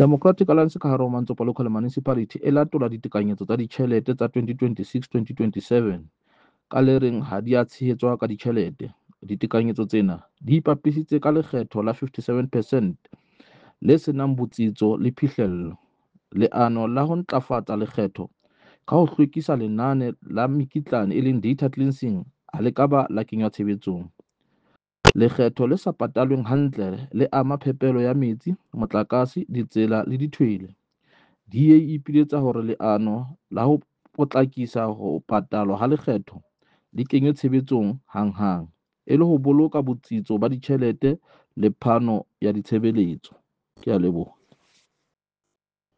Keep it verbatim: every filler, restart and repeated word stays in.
Democratic Alliance ka hare ho Mantsopa Local Municipality e latola ditekanyetso tsa ditjhelete tsa twenty twenty-six twenty twenty-seven ka le reng ha di a tshehetswa ka ditjhelete. Ditekanyetso tsena di ipapisitse ka lekgetho la fifty-seven percent le senang botsitso le phihlello. Leano la ho ntlafatsa lekgetho ka ho hlwekisa lenane la mekitlane e leng data cleansing ha le ka ba la kenywa tshebetsong. Lekgetho le sa patalweng hantle le ama phepelo ya metsi, motlakase, ditsela le dithwele. D A e ipiletsa hore leano la ho potlakisa ho patalwa ha lekgetho le kenywe tshebetsong hanghang, e le ho boloka botsitso ba ditjhelete le phano ya ditshebeletso. Ke a leboha.